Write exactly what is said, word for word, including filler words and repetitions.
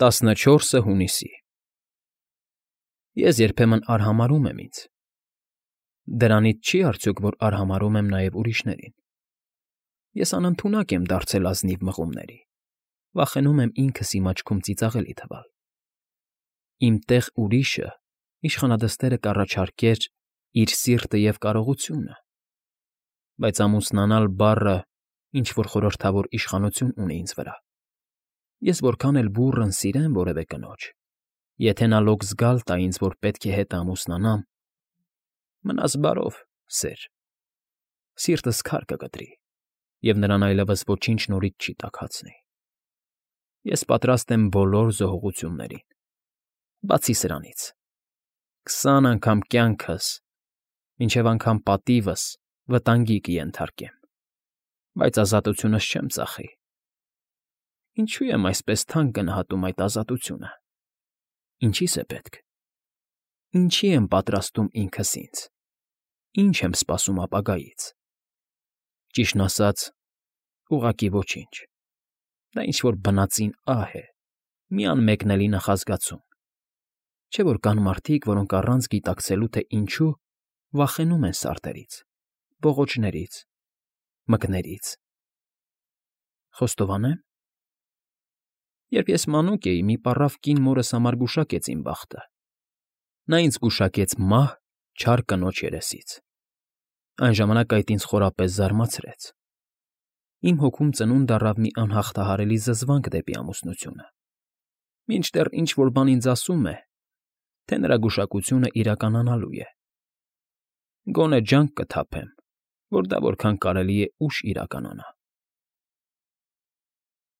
տասնչորսը հունիսի Ես երբեմն արհամարհում եմ ինձ. դրանից չի՞ արդյոք, որ արհամարհում եմ նաև ուրիշներին. ես անընդունակ եմ դարձել ազնիվ մղումների, վախենում եմ ինքս իմ աչքում ծիծաղելի թվալ, իմ տեղ ուրիշը իշխանադստերը կառաջարկեր իր սիրտը և կարողությունը, բայց ամուսնանալ բառը ինչ֊որ խորհրդավոր իշխանություն ունի ինձ վրա, ես որքան էլ բուռն սիրեմ որևէ կնոջ, եթե նա լոկ զգալ տա ինձ, որ պետք է հետը ամուսնանամ, մնաս բարով, սեր, սիրտս քար կկտրի, և նրան այլևս ոչինչ նորից չի տաքացնի, ես պատրաստ եմ բոլոր զոհողություններին, բացի սրանից, քսան անգամ կյանքս, մինչև անգամ պատիվս վտանգի կենթարկեմ, բայց ազատությունս չեմ ծախի. ինչո՞ւ եմ այսպես թանկ գնահատում այդ ազատությունը, ինչի՞ս է պետք, ինչի՞ եմ պատրաստում ինքս ինձ, ի՞նչ եմ սպասում ապագայից, ճիշտն ասած, ուղղակի ոչինչ, դա ինչ֊որ բնածին ահ է, մի անմեկնելի նախազգացում, չէ՞ որ կան մարդիկ, որոնք առանց գիտակցելու, թե ինչու, վախենում են սարդերից, բողոջներից, մկներից… Խոստովանե՞մ… Երբ ես մանուկ էի, մի պառավ կին մորս համար գուշակեց իմ բախտը, նա ինձ գուշակեց մահ չար կնոջ երեսից, այն ժամանակ այդ ինձ խորապես զարմացրեց, իմ հոգում ծնունդ առավ մի անհաղթահարելի զզվանք դեպի ամուսնությունը, մինչդեռ ինչ֊որ բան ինձ ասում է, թե նրա գուշակությունն իրականանալու է, գոնե ջանք կթափեմ, որ դա որքան կարելի է ուշ իրականանա։